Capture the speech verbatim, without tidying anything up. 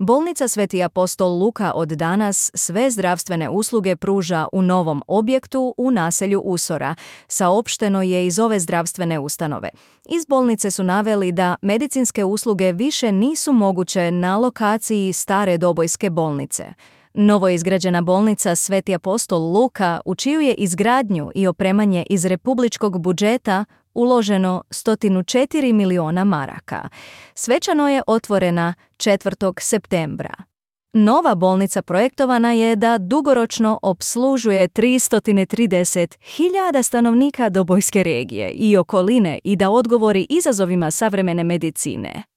Bolnica Sveti apostol Luka od danas sve zdravstvene usluge pruža u novom objektu u naselju Usora, saopšteno je iz ove zdravstvene ustanove. Iz bolnice su naveli da medicinske usluge više nisu moguće na lokaciji stare Dobojske bolnice. Novo izgrađena bolnica Sveti apostol Luka, u čiju je izgradnju i opremanje iz republičkog budžeta uloženo sto četiri miliona maraka. Svečano je otvorena četvrtog septembra. Nova bolnica projektovana je da dugoročno opslužuje tristo trideset hiljada stanovnika Dobojske regije i okoline i da odgovori izazovima savremene medicine.